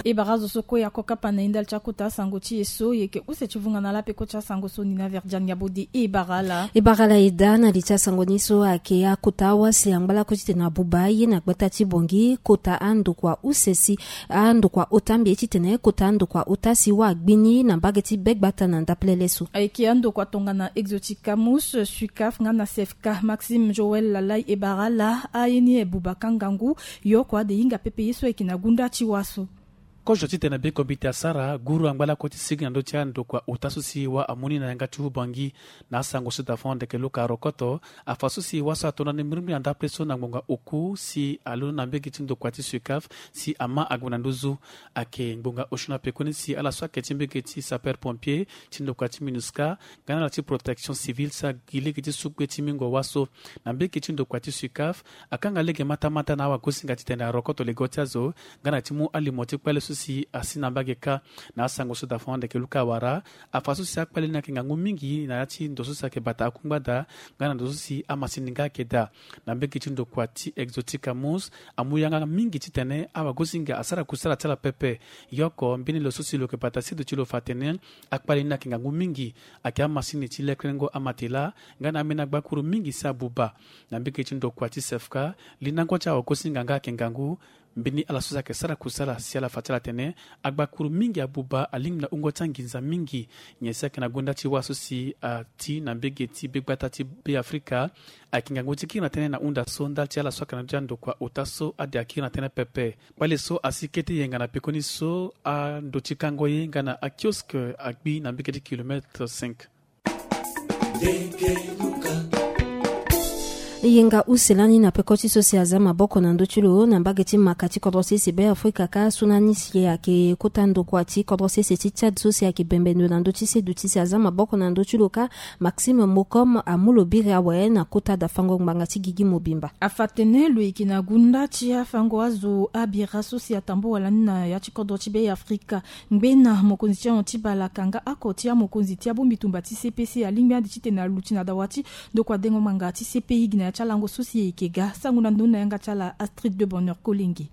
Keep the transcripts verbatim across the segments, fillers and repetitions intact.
E bara azo so kue ako kapa na e ndali ti akota asango ti e so, e yeke use ti vunga na ala peko ti asango so ni na Verdiane Yabode. E bara ala. E bara ala e daa na li ti asango ni so ayeke akota wâ si angba lakue titene abuba aye na gbata ti Bangui kota andokua use si andokua ota mbi ye titene kota andokua ota si wâ agbi ni na mbage ti Begbata na ndapelele so. Ayeke andokua tongana Exotica Mousse, Sucaf nga na Sefka. Maxime Joël Lalai e bara ala aye ni e buba ka ngangu. Yo kua ade hinga pepe ye so ayeke na gunda ti wâ so. Kozo titene be kombite asara guru angba lakue ti sigi na ndö ti andokua ota so si wâ amu ni na yanga ti Bangui. Na asango so dafon ndeke luka arokoto afa so si wâ so ato na ni mbrimbri na ndapele so na ngbonga oku si alondo na mbege ti ndokua ti Sucaf si ama ague na nduzu. Ayeke ngbonga osio na pekoni si ala so ayeke ti mbege ti sapeur pompier ti ndokua ti Minusca nga na ala ti protection civile si agi lege ti su gbe ti mingo wâ so. Na mbege ti ndokua ti Sucaf akanga lege matamata na awagosinga titene arokoto lego ti azo nga na ti mu alimo ti kpale so si asi na mbage kâ. Na asango so dafon andeke luka awara afa so si akpale ni ayeke ngangu mingi na ya ti ndo so si ayeke bata akungba daa nga na ndo so si amasini nga ayeke daa. Na mbege ti ndokua ti Exotica Mousse amu yanga mingi titene awagosinga asara kusala ti ala pepe. Yo oko mbeni lo so si lo yeke bata sedu ti lo fa atene akpale ni ayeke ngangu mingi. Ayeke amasini ti lekrengo amatela nga na ambeni agbakuru mingi si abuba. Na mbege ti ndokua ti Sefka lindango ti awagosinga nga ayeke ngangu. Mbeni ala so si ayeke sara kusala si ala fa ti ala tene agbakuru mingi abuba alingbi na wungo ti anginza mingi. Nyen si ayeke na gonda ti wâ so si ati na mbege ti begbata ti Beafrika. Ayeke ngangu ti kiri na tënë na hunda so ndali ti ala so ayeke na ndö ti andokua ota so ade akiri na tënë pepe. Kpale so asi kete yenga na pekoni so ando ti kango ye nga na akioske agbi na mbege ti kilomètre cinq. Yenga use lani na peko ti so si aza maboko na ndö ti lo na mbage ti maka ti kodro ti sese Beafrika kâ so lani si ayeke kota ndokua ti kodro ti sese ti Tchad so si ayeke bembe ndo na ndö ti sedu ti si aza maboko na ndö ti lo kâ. Maxime Mokom amu lo biri awe na kota dafango ngbanga ti gigi mobimba. Afa atene lo yeke na gunda ti afango azo abira so si atambua lani na ya ti kodro ti Beafrika. Ngbena mokonzi ti ahon ti balaka nga oko ti amokonzi ti abongbi tumba ti C P C alingbi ande titene aluti na dawa ti ndokua dengo ngbanga ti C P I gi na ya ti alango so si e yeke ga. Sango na ndo na yanga ti ala Astrid de Bonheur Kolenge.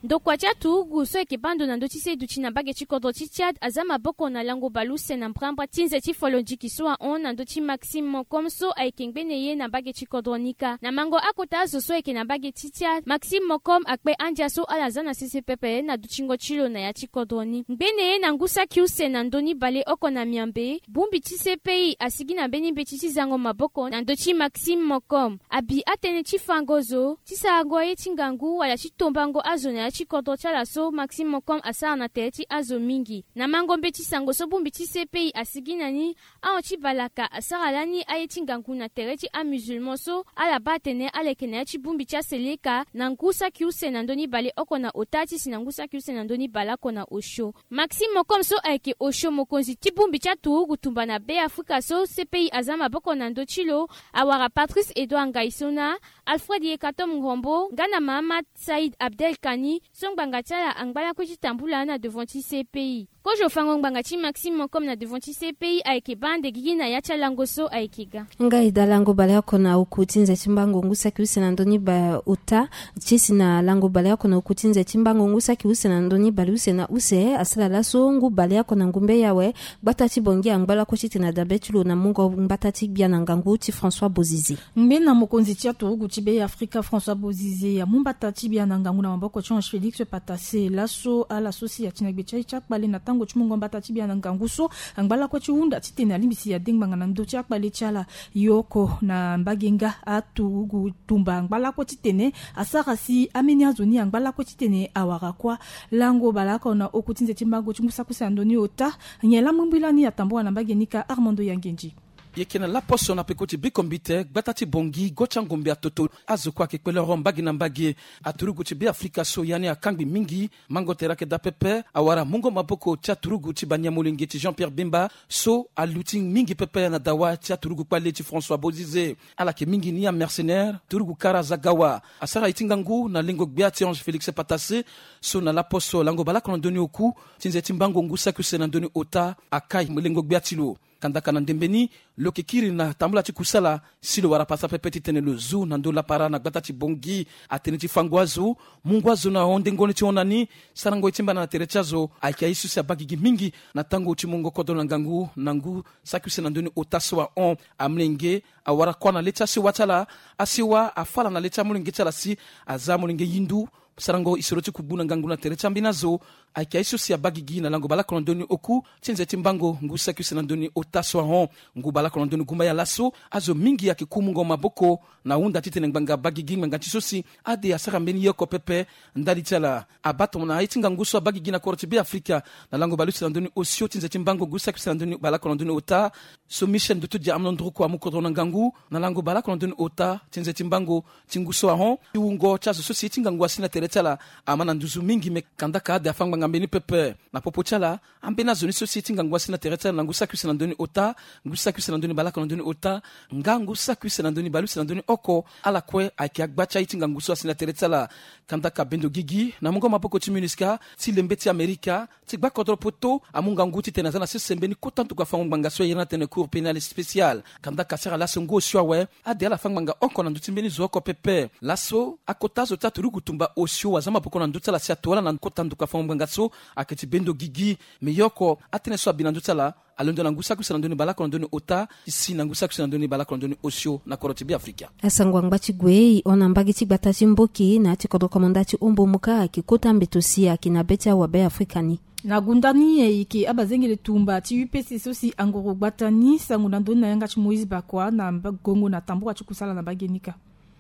Ndokua ti aturugu so ayeke baa ndo na ndö ti se duti na mbage ti kodro ti Tchad aza maboko na lango baleuse na mbrambra ti nze ti folondiki so ahon na ndö ti Maxime Mokom so ayeke ngbene ye na mbage ti kodro ni kâ. Na mango akota zo so ayeke na mbage ti Tchad, Maxime Mokom akpe andia so ala za na sese pepe na dutingo ti lo na ya ti kodro ni. Ngbene ye na ngu saki use na ndö ni baleoko na miambe, bongbi ti C P I asigi na mbeni mbeti ti zango maboko na ndö ti Maxime Mokom. Abi atënë ti fango zo, ti sarango aye ti ngangu wala ti tombango azo na ya ti kodro ti ala so Maxime Mokom asara na tere ti azo mingi. Na mango mbeti sango so bongbi ti C P I asigi na ni, ahon ti balaka asara lani aye ti ngangu na tere ti amusulman so ala baa atene ala yeke na ya ti bongbi ti aseleka na ngu saki use na ndö ni baleoko na ota ti si na ngu saki use na ndö ni baleoko na osio. Maxime Mokom so ayeke osio mokonzi ti bongbi ti aturugu tumba na Beafrika so C P I aza maboko na ndö ti lo, awara Patrice Edouard Ngaïsona, Alfred Yekatom Ngrombo nga na Mahamat Saïd Abdel Kani so ngbanga ti ala angba lakue ti tambula na devant ti C P I. Kozo fango ngbanga ti Maxime Mokom na devant ti C P I ayeke baa ande gigi na ya ti alango so ayeke ga. Nga e daa lango baleoko na oku ti nze ti mbango ngu saki use na ndö ni ba ota. Ti si na lango baleoko na oku ti nze ti mbango ngu saki use na ndö ni baleuse na use asara laso ngu baleoko na ngumbe yawe, gbata ti Bangui angba lakue titene adabe ti lo na mungo mbata ti gbia na ngangu ti François Bozize. Ngbena mokonzi ti aturugu ti Beafrika François Bozize amu mbata ti gbia na ngangu na maboko ti Ange Félix Patasse. Laso ala so si ati na gbe ti aye ti akpale na tango ti mungo mbata ti gbia na ngangu so angba lakue ti hunda titene alingbi si ade ngbanga na ndö ti akpale ti ala. Yo oko na mbage nga aturugu tumba angba lakue titene asara si ambeni azo ni angba lakue titene awara kuâ. Lango baleoko na oku ti nze ti mbango ti ngu saki use na ndö ni ota. Nyen laa mbrimbri lani atambua na mbage ni kâ? Armando Yangenji. E yeke na laposo na peko ti bikombite gbata ti Bangui go ti angombe atoto. Azo kue ayeke kpelero mbage na mbage. Aturugu ti Beafrika so ya ni akangbi mingi. Mango tere ayeke daa pepe awara mungo maboko ti aturugu ti baniamolenge ti Jean-Pierre Bemba so aluti mingi pepe na dawa ti aturugu kpale ti François Bozize. Ala yeke mingi ni amercenaire turugu kara aza ga wa. Asara ye ti ngangu na lengo gbia ti Ange Félix Patasse so na laposo lango baleoko na ndö ni oku ti nze ti mbango ngu saki use na ndö ni ota akai lengo gbia ti lo. Kandaka na ndembe ni, lo yeke kiri na tambula ti kusala si lo wara pasa pepe titene lo zu na ndö lapara na gbata ti Bangui. Atene ti fa ngu azo, mu ngu azo na honde ngoni ti hon na ni, sarango ye ti mbana na tere ti azo ayeke aye so si abaa gigi mingi na tango ti mungo kodro na ngangu na ngu saki use na ndö ni ota so ahon. Amolenge awara kuâ na le ti asiwa ti ala. Asiwa afa ala na le ti amolenge ti ala si aza amolenge yindu. Sarango isoro ti kugbu na ngangu na tere ti ambeni azo ayeke aye so si abaa gigi na lango baleoko na ndö ni oku ti nze ti mbango ngu saki use na ndö ni ota so ahon. Ngu baleoko na ndö ni gumbaya laso, azo mingi ayeke ku mungo maboko na hunda titene ngbanga abaa gigi ngbanga ti so si ade asara mbeni ye oko pepe. Ndali ti ala abaa tongana aye ti ngangu so abaa gigi na kodro ti Beafrika na lango baleuse na ndö ni osio ti nze ti mbango ngu saki use na ndö ni baleoko na ndö ni ota. So Michel Ndoto Dia Amnon Ndruku amu kodro na ngangu na lango baleoko na ndö ni ota ti nze ti mbango ti ngu so ahon. Ti wungo ti azo so si ye ti ngangu asi na tere ti ala ama na nduzu mingi, me kandaka ade afa ngbanga mbeni pepe. Na popo ti ala, ambeni azo ni so si ye ti ngangu asi na tere ti ala na ngu saki use na ndö ni ota, ngu saki use na ndö ni baleoko na ndö ni ota, nga ngu saki use na ndö ni baleuse na ndö ni oko, ala kue ayeke agba ti aye ti ngangu so asi na tere ti ala. Kandaka bendo gigi na mungo maboko ti MINUSCA ti lembe ti Amerika ti gba kodro poto amu ngangu titene aza na sese mbeni kota nduku afango ngbanga so ayere ni atene Cour pénale spéciale. Kandaka asara laso ngu osio awe, ade ala fa ngbanga oko na ndö ti mbeni zo oko pepe. Laso akota azo ti aturugu tumba osio waza maboko na ndö ti ala si ato ala na kota nduku afango ngbanga so ayeke ti bendo gigi. Me ye oko atënë so abi na ndö ti ala alondo na ngu saki use na ndö ni baleoko na ndö ni ota ti si na ngu saki use na ndö ni baleoko na ndö ni osio na kodro ti Beafrika. Asango angba ti gue e hon na mbage ti gbata ti Mboki na ya ti kodro komanda ti Ombomuka ayeke kota mbeto si ayeke na be ti awabe Afrika ni. Na gunda ni e yeke abazengele tumba ti U P C so si angoro gbata ni sango na ndö ni na yanga ti Moïse Bakwa na mba-, gongo na tambura ti kusala na mbage ni kâ.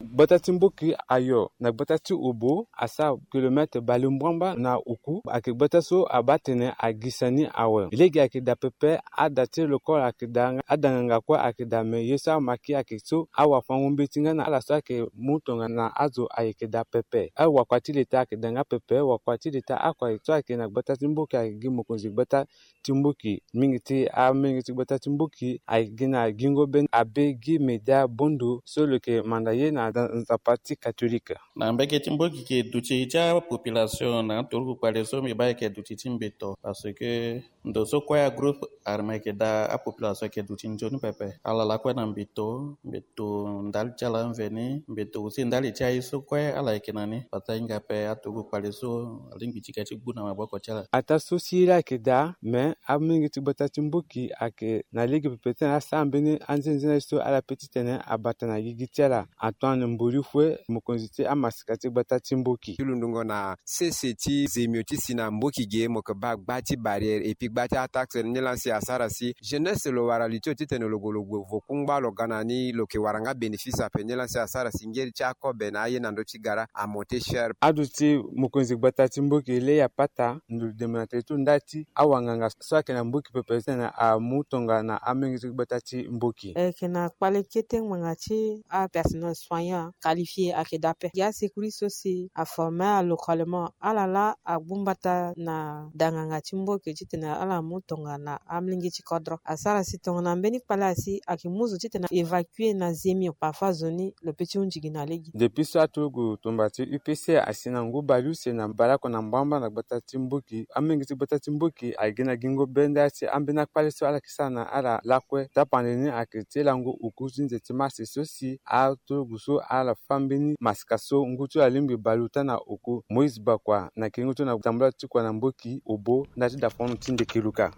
Gbata ti Mboki ayo na gbata ti Obo asara kilomètre balemuamba na oku. Ayeke gbata so abaa tene agisa ni awe. Lege ayeke daa pepe, ada ti lokolo ayeke daa, ada nganga kue ayeke daa, me ye so amaki ayeke so awafango-mbeti nga na ala so ayeke mu tongana azo ayeke daa pepe. Awakua ti leta ayeke daa nga pepe, wakua ti leta oko so ayeke na gbata ti Mboki ayeke gi mokonzi gbata ti Mboki. Mingi ti amolenge ti gbata ti Mboki ayeke gi na gingo be abe gi Media Bondo so lo yeke manda ye na nzapa ti katolike. Na mbage ti Mboki ayeke duti ti apopulation na aturugu kpale so mbi baa ayeke duti ti mbeto, parce que ndo so kue agroupe armé ayeke daa apopulation ayeke duti nzoni pepe. Ala lakue na mbeto, mbeto ndali ti ala mveni, mbeto aussi ndali ti aye so kue ala yeke na ni. Parce que ahinga ape aturugu kpale so alingbi ti ga ti gbu na maboko ti ala. Ataa so si ye laa ayeke daa, me amolenge ti gbata ti Mboki ayeke na lege pepe titene asara mbeni anzenze na ye so ala pe titene abata na gigi ti ala. Antoine Mbolifue, mokonzi ti amasika ti gbata ti Mboki. Ti lundungo na sese ti zemio ti si na Mboki ge, mo yeke baa gba ti barrière et puis gba ti ataxe ni laa si asara si jeunesse lo wara li ti lo titene lo gue lo gue vo kungba lo ga na ni, lo yeke wara nga bénéfice ape ni laa si asara si ngeri ti akobe na aye na ndö ti gara amonté cher. Aduti mokonzi gbata ti Mboki Lea Pata, ndo dembe na tere ti lo nda ti awanganga so ayeke na Mboki pepe titene amu tongana amolenge ti gbata ti Mboki. E yeke na kpale kete ngbanga ti apersonnel soignant qualifié ayeke daa ape. Gi asecouriste so si aforme ala localement, ala laa agbu mbata na danganga ti Mboki titene ala mu tongana amolenge ti kodro. Asara si tongana mbeni kpale asi ayeke mu zo titene évacuer na zemio, parfois zo ni lo pe ti hunzi gi na lege. Depuis so aturugu tumba ti U P C asi na ngu baleuse na baleoko na mbamba na gbata ti Mboki, amolenge ti gbata ti Mboki ayeke gi na gingo be nda ti ambeni akpale so ala yeke sara na ala lakue. Tapande ni ayeke ti lango oku ti nze ti mars so si aturugu so ala fâ mbeni masika so ngu ti lo alingbi bale ota na oku. Moïse Bakwa na kengo ti lo na tambula ti kua na Mboki, Obo, nda ti dafono ti Ndekeluka.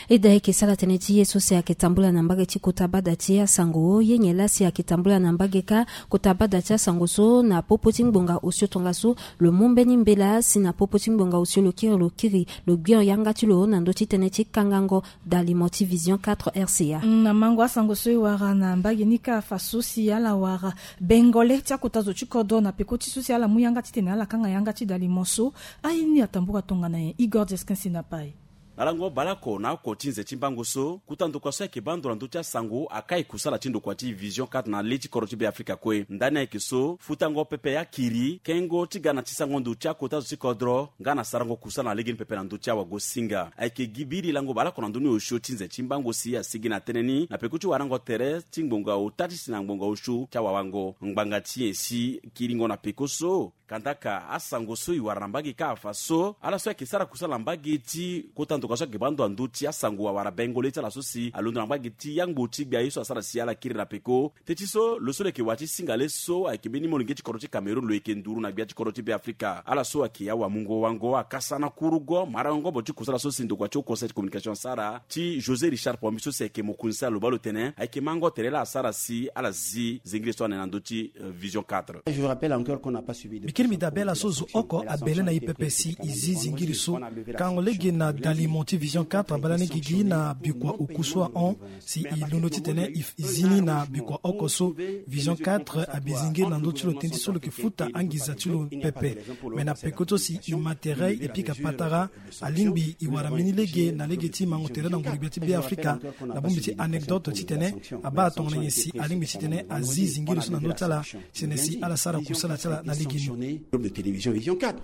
Eda ayeke sara tënë ti ye so si ayeke tambula na mbage ti kota bada ti asango. Ye nyen laa si ayeke tambula na mbage kâ kota bada ti asango so na popo ti ngbonga osio tongaso lo mu mbeni mbela si na popo ti ngbonga osio lo kiri lo kiri lo gbio yanga ti lo na ndö ti tënë ti kangango dalimo ti Vision quatre R C A. Na mango asango so e wara na mbage ni kâ afa so si ala wara bengole ti akota zo ti kodro na peko ti so si ala mu yanga titene ala kanga yanga ti dalimo so. Aye ni atambula tongana nyen? Igor Jeskin si na pai. Na lango baleoko na oko ti nze ti mbango so, kota ndokua so ayeke baa ndo na ndö ti asango akai kusala ti ndokua ti Vision quatre na le ti kodro ti Beafrika kue. Ndani ayeke so futango pepe akiri kengo ti ga na ti sango ndo ti akota zo ti kodro nga na sarango kusala na lege ni pepe na ndö ti awagosinga. Ayeke gi biri lango baleoko na ndö ni osio ti nze ti mbango si asigi na tënë ni na peko ti warango tere ti ngbonga ota ti si na ngbonga osio ti awawango ngbanga ti nyen si kiringo na peko so. Kandaka asango so e wara na mbage kâ afa so ala so ayeke sara kusala na mbage ti kota ndo Goso ayeke baa ndo na ndö ti asango awara bengo le ti ala so si alondo na mbage ti yangbo ti gbia ye so asara si ala kiri na peko. Teti so lo so lo yeke wa ti singa le so ayeke mbeni molenge ti kodro ti Cameroun, lo yeke nduru na gbia ti kodro ti Be Afrika. Ala so ayeke awamungo wango akasana kurugo marango ngombo ti kusala so si ndokua ti Haut Conseil ti communication asara ti José Richard Pombi so si ayeke mokonzi ti ala, lo baa lo tene ayeke mango tere laa asara si ala zi zingiri so ane na ndö ti, euh, Vision quatre. Je vous rappelle encore qu'on n'a pas suivi de... Mbi kiri mbi daa bela so zo oko abele na e pepe si e zi zingiri so. Kango lege na dalimo ti Vision quatre abaa lani gigi na bikua oku so ahon si e londo titene e zi ni na bikua oko so. Vision quatre abi zingiri na ndö ti lo tënë ti so lo yeke futa anginza ti lo pepe. Me na peko ti so si e ma tere e pika patara, alingbi e wara mbeni lege na lege ti mango tere na nguru gbia ti Be Afrika. Na bongbi ti anecdote titene abaa tongana nyen si alingbi titene azi zingiri so na ndö ti ala, titene si ala sara kusala ti ala na lege ni.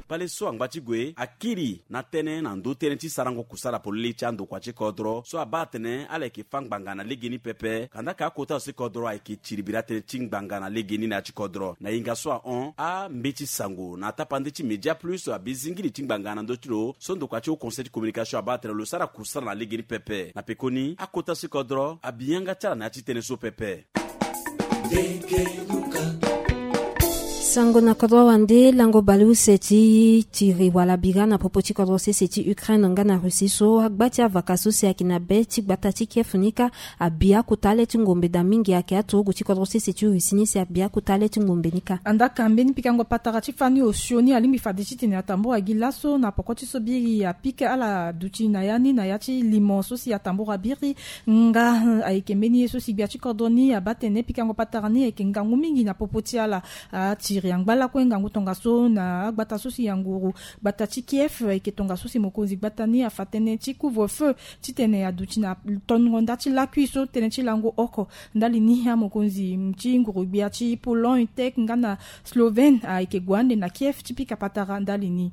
Kpale so angba ti gue akiri na tënë na ndö tënë ti sarango kusala polele ti andokua ti kodro so abaa atene ala yeke fâ ngbanga na lege ni pepe. Kanda ka akota so ti kodro ayeke tiribiri atënë ti ngbanga na lege ni na ya ti kodro. Na hinga so ahon, ambeti sango na tapande ti Média Plus abi zingiri ti ngbanga na ndö ti lo so ndokua ti Haut Conseil ti communication abaa atene lo sara kusala na lege ni pepe. Na pekoni, akota so ti kodro abi yanga ti ala na ya ti tënë so pepe. Sango na kodro wande, lango baleuse ti tiri wala bira na popo ti kodro sese ti Ukraine nga na Russie so agba ti avaka so si ayeke na be ti gbata ti Kiev ni kâ abi akota le ti ngombe daa mingi. Ayeke aturugu ti kodro sese ti Russie ni si abi akota le ti ngombe ni kâ. Andaa ka mbeni pikango patara ti fani osio ni alingbi fade titene atambura gi laso na poko ti so biri apika ala duti na ya ni na ya ti limo so si atambura biri. Nga, eh, ayeke mbeni ye so si gbia ti kodro ni abaa tene pikango patara ni ayeke ngangu mingi na popo ti ala. Atiri angba lakue ngangu tongaso na agbata so si ya nguru gbata ti Kiev, ayeke tongaso si mokonzi gbata ni afa tënë ti couvre-feu titene aduti na tongo nda ti lakui so tënë ti lango oko. Ndali ni amokonzi ti nguru gbia ti Pologne, Tchèque nga na Slovène ayeke gue ande na Kiev ti pika patara ndali ni.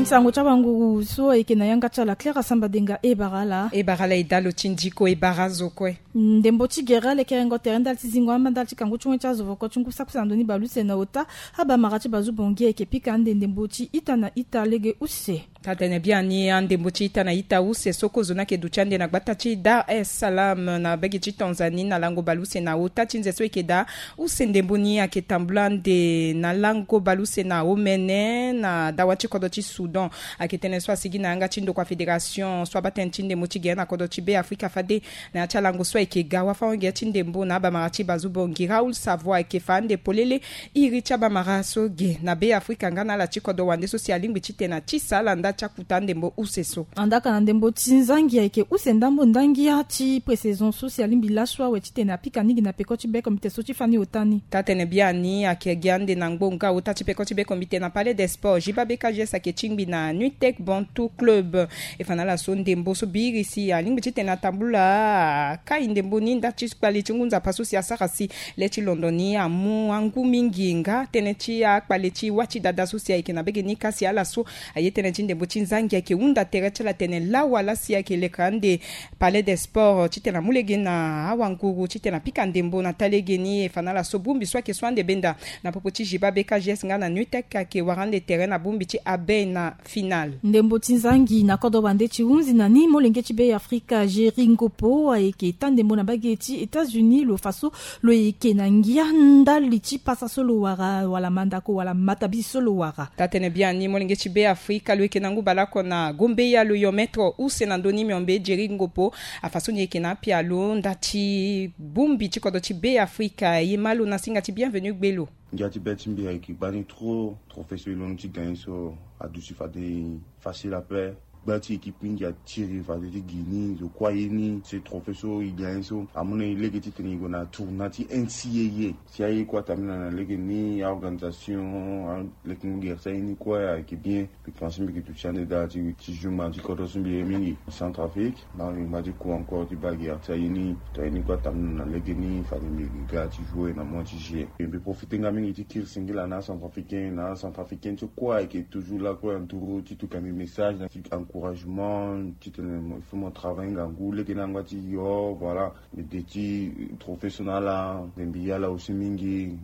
Nsango ti awanguru so ayeke na yanga ti ala Claire Asambadenga. E bara ala. E bara ala e dalo ti ndiko, e bara azo kue. Ndembo ti gere alekerengo tere ndali ti zingo amba ndali ti kangu ti wen ti azo voko ti ngu sakusa na ndo ni baleuse na ota. Abamara ti bazu bongi ayeke pika ande ndembo ti ita na ita lege use. Taa tene biani, andembo ti ita na ita use so kozo ni ayeke duti ande na gbata ti Dar es Salaam na bege ti Tanzanie na lango baleuse na ota ti nze so e yeke daa use ndembo ni ayeke tambula ande na lango baleuse na omene na dawa ti kodro ti Soudan. Ayeke tënë so asigi na yanga ti ndokua fédération so abaa tënë ti ndembo ti gere na kodro ti Be Afrika fade na ya ti alango so ayeke ga wafa-ongere ti ndembo na abamara ti bazu bongi Raoul Savoie ayeke fa ande polele iri ti abamara so ge na Be Afrika nga na ala ti kodro wande so si alingbi titene atisa ala nda ti akuta ndembo use so. Andaa ka na ndembo ti nzangi ayeke use ndambo ndangia ti pré-saison so si alingbi laso awe titene apika mingi na peko ti be komite so ti fani ota ni. Taa tene biani ayeke gi ande na ngbonga ota ti peko ti be komite na Palais des Sports. Jiba B K G S ayeke tingbi na Nutec Bantu Club. E fa na ala so ndembo so biri si alingbi titene atambula akai ndembo ni nda ti kpale ti ngu nzapa so si asara si le ti londo ni amu angu mingi nga tënë ti akpale ti wâ ti dada so si ayeke na bege ni kasi ala so aye tënë ti ndembo ti nzangi ayeke hunda tere ti ala tene lawa laa si ayeke leke ande Palais des Sports titene amu lege na awanguru titene apika ndembo na taa lege ni. E fa na ala so bongbi so ayeke so ande benda na popo ti Jiba B K G S nga na Nutec ayeke wara ande tere na bongbi ti abe na finale. Ndembo ti nzangi na kodro bande ti hunzi na ni molenge ti Be Afrika Jerry Ngopo ayeke taa ndembo na bage ti États-Unis lo fa so lo yeke na ngia ndali ti pasa so lo wara wala mandako wala matabisi so lo wara. Taa tene biani molenge ti Be Afrika lo yeke na ngu baleoko na gombeya lo yo maître use na ndö ni miombe Jerry Ngopo afa so ni yeke na apialo nda ti bongbi ti kodro ti Be Afrika. E ma lo na singa ti Bienvenu Gbelo. Ngia ti be ti mbi ayeke gbani trop. Trophée so e londo ti gagner so aduti fade facile ape. Gba ti équipe mingi atiri fade ti gi ni zo kue aye ni. Ce trophée so e gagner so amu na e lege titene e gue na tournoi ti N C A A. Si aye kue atambula na lege ni, a-organisation, a-, lekengo gere ti aye ni kue ayeke bien. Mbi pense mbi yeke duti ande daa ti, ti jour ma ti kodro so mbi ye mingi Centrafrique. Na mbi ngba ti ku encore ti baa gere ti aye ni. To aye ni kue atambula na lege ni fade mbi yeke ga ti jouer na mois ti juillet. Mbi profite nga mingi ti kiri singila na acentrafricain na acentrafricaine so kue ayeke toujours là kue entouré ti tuka mbi message na ti encouragement titene il faut mo travailler ngangu lege ni angba ti yo, voilà. Mbi de ti trophée so na ala, mbi ya ala aussi mingi.